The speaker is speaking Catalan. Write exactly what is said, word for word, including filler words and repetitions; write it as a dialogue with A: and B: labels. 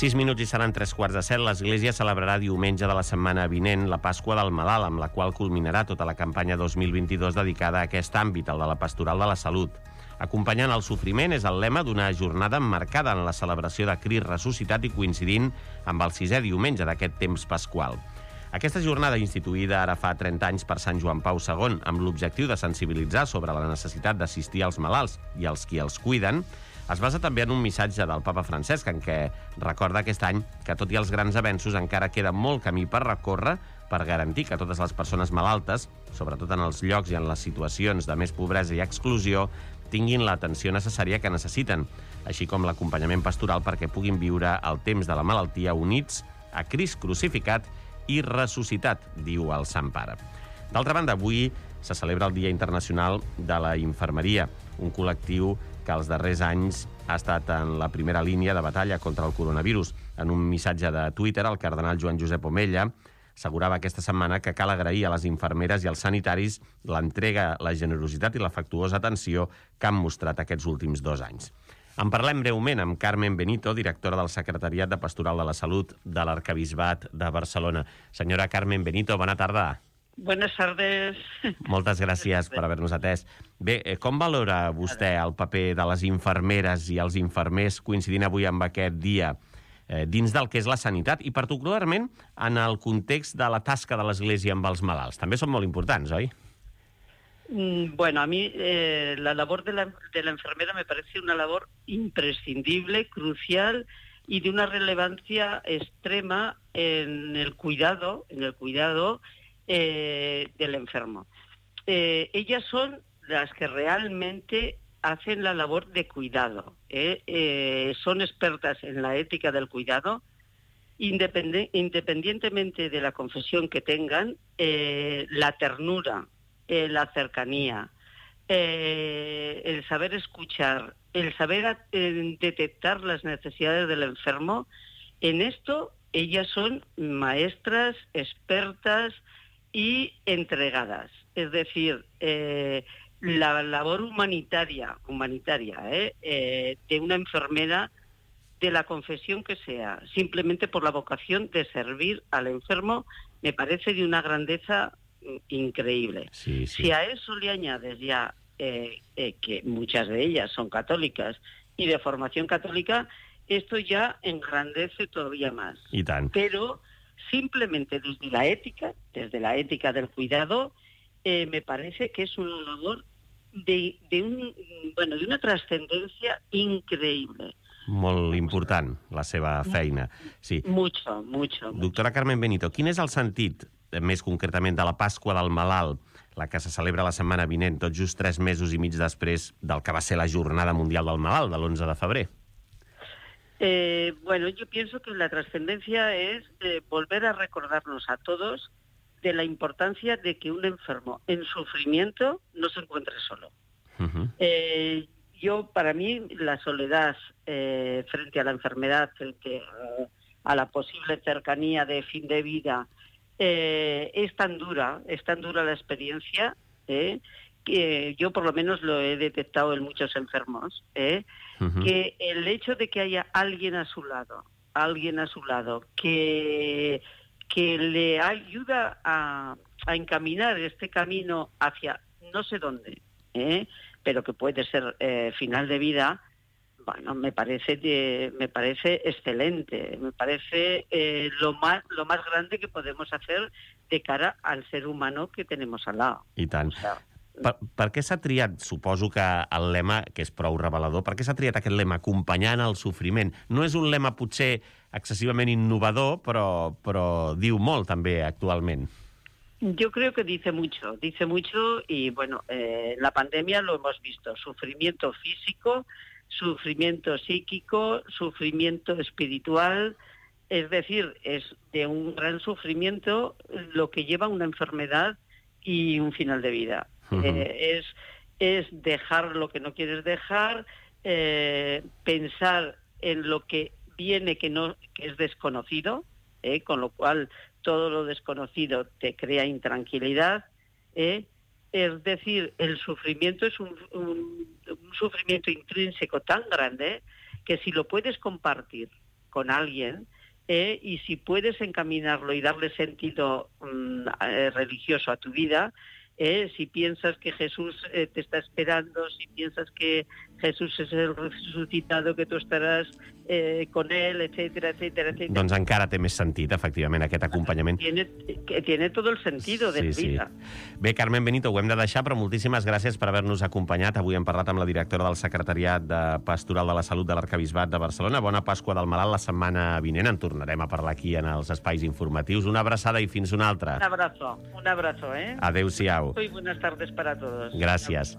A: Sis minuts i seran tres quarts de set. L'Església celebrarà diumenge de la setmana vinent la Pasqua del Malalt, amb la qual culminarà tota la campanya dos mil vint-i-dos dedicada a aquest àmbit, el de la pastoral de la salut. Acompanyant el sofriment és el lema d'una jornada emmarcada en la celebració de Crist ressuscitat i coincidint amb el sisè diumenge d'aquest temps pasqual. Aquesta jornada, instituïda ara fa trenta anys per Sant Joan Pau segon, amb l'objectiu de sensibilitzar sobre la necessitat d'assistir als malalts i als qui els cuiden, es basa també en un missatge del papa Francesc en què recorda aquest any que, tot i els grans avenços, encara queda molt camí per recórrer per garantir que totes les persones malaltes, sobretot en els llocs i en les situacions de més pobresa i exclusió, tinguin l'atenció necessària que necessiten, així com l'acompanyament pastoral perquè puguin viure el temps de la malaltia units a Crist crucificat i ressuscitat, diu el Sant Pare. D'altra banda, avui se celebra el Dia Internacional de la Infermeria, un col·lectiu que els darrers anys ha estat en la primera línia de batalla contra el coronavirus. En un missatge de Twitter, el cardenal Joan Josep Omella assegurava aquesta setmana que cal agrair a les infermeres i als sanitaris l'entrega, la generositat i l'afectuosa atenció que han mostrat aquests últims dos anys. En parlem breument amb Carmen Benito, directora del Secretariat de Pastoral de la Salut de l'Arquebisbat de Barcelona. Senyora Carmen Benito, bona tarda.
B: Buenas tardes.
A: Moltes gràcies per haver-nos atès. Bé, com valora vostè el paper de les infermeres i els infermers coincidint avui amb aquest dia eh, dins del que és la sanitat i particularment en el context de la tasca de l'Església amb els malalts? També són molt importants, oi?
B: Bueno, a mí eh, la labor de la, de la enfermera me parece una labor imprescindible, crucial y de una relevancia extrema en el cuidado, en el cuidado Eh, del enfermo. Eh, ellas son las que realmente hacen la labor de cuidado. ¿eh? Eh, son expertas en la ética del cuidado, independ- independientemente de la confesión que tengan, eh, la ternura, eh, la cercanía, eh, el saber escuchar, el saber eh, detectar las necesidades del enfermo. En esto ellas son maestras, expertas y entregadas. Es decir, eh, la labor humanitaria, humanitaria ¿eh? Eh, de una enfermera, de la confesión que sea, simplemente por la vocación de servir al enfermo, me parece de una grandeza increíble.
A: Sí, sí.
B: Si a eso le añades ya eh, eh, que muchas de ellas son católicas y de formación católica, esto ya engrandece todavía más.
A: I tant.
B: Pero simplemente desde la ética, desde la ética del cuidado, eh, me parece que es una labor de, de, un, bueno, de una trascendencia increíble.
A: Molt important, la seva feina. Sí.
B: Mucho, mucho.
A: Doctora Carmen Benito, quin és el sentit, més concretament, de la Pasqua del Malalt, la que se celebra la setmana vinent, tot just tres mesos i mig després del que va ser la Jornada Mundial del Malalt, de l'onze de febrer?
B: Eh, bueno, yo pienso que la trascendencia es eh, volver a recordarnos a todos de la importancia de que un enfermo en sufrimiento no se encuentre solo. Uh-huh. Eh, yo, para mí, la soledad eh, frente a la enfermedad, frente a, a la posible cercanía de fin de vida, eh, es tan dura, es tan dura la experiencia, eh, que yo por lo menos lo he detectado en muchos enfermos, ¿eh? Uh-huh. Que el hecho de que haya alguien a su lado, alguien a su lado, que, que le ayuda a, a encaminar este camino hacia no sé dónde, ¿eh? Pero que puede ser eh, final de vida, bueno, me parece de, me parece excelente, me parece eh, lo más lo más grande que podemos hacer de cara al ser humano que tenemos al lado.
A: I tant. O sea, Per, per què s'ha triat, suposo que el lema, que és prou revelador, per què s'ha triat aquest lema, acompanyant el sofriment? No és un lema potser excessivament innovador, però, però diu molt també actualment.
B: Yo creo que dice mucho, dice mucho y bueno, eh, la pandemia lo hemos visto, sufrimiento físico, sufrimiento psíquico, sufrimiento espiritual, es decir, es de un gran sufrimiento lo que lleva una enfermedad y un final de vida. Uh-huh. Eh, es, es dejar lo que no quieres dejar, eh, pensar en lo que viene que no que es desconocido, eh, con lo cual todo lo desconocido te crea intranquilidad. Eh, es decir, el sufrimiento es un, un, un sufrimiento intrínseco tan grande que si lo puedes compartir con alguien, eh, y si puedes encaminarlo y darle sentido mm, eh, religioso a tu vida, eh, si piensas que Jesús eh, te está esperando, si piensas que Jesús es el resucitado, que tú estaràs eh, con él, etcétera, etcétera, etcétera.
A: Doncs encara té més sentit, efectivament, aquest acompanyament.
B: Tiene, tiene todo el sentido de
A: sí,
B: vida.
A: Sí. Bé, Carmen Benito, ho hem de deixar, però moltíssimes gràcies per haver-nos acompanyat. Avui hem parlat amb la directora del Secretariat de Pastoral de la Salut de l'Arquebisbat de Barcelona. Bona Pasqua del Malalt la setmana vinent. En tornarem a parlar aquí en els espais informatius. Una abraçada i fins una altra.
B: Un abrazo, un abrazo, ¿eh?
A: Adéu-siau.
B: Y buenas tardes para todos.
A: Gracias.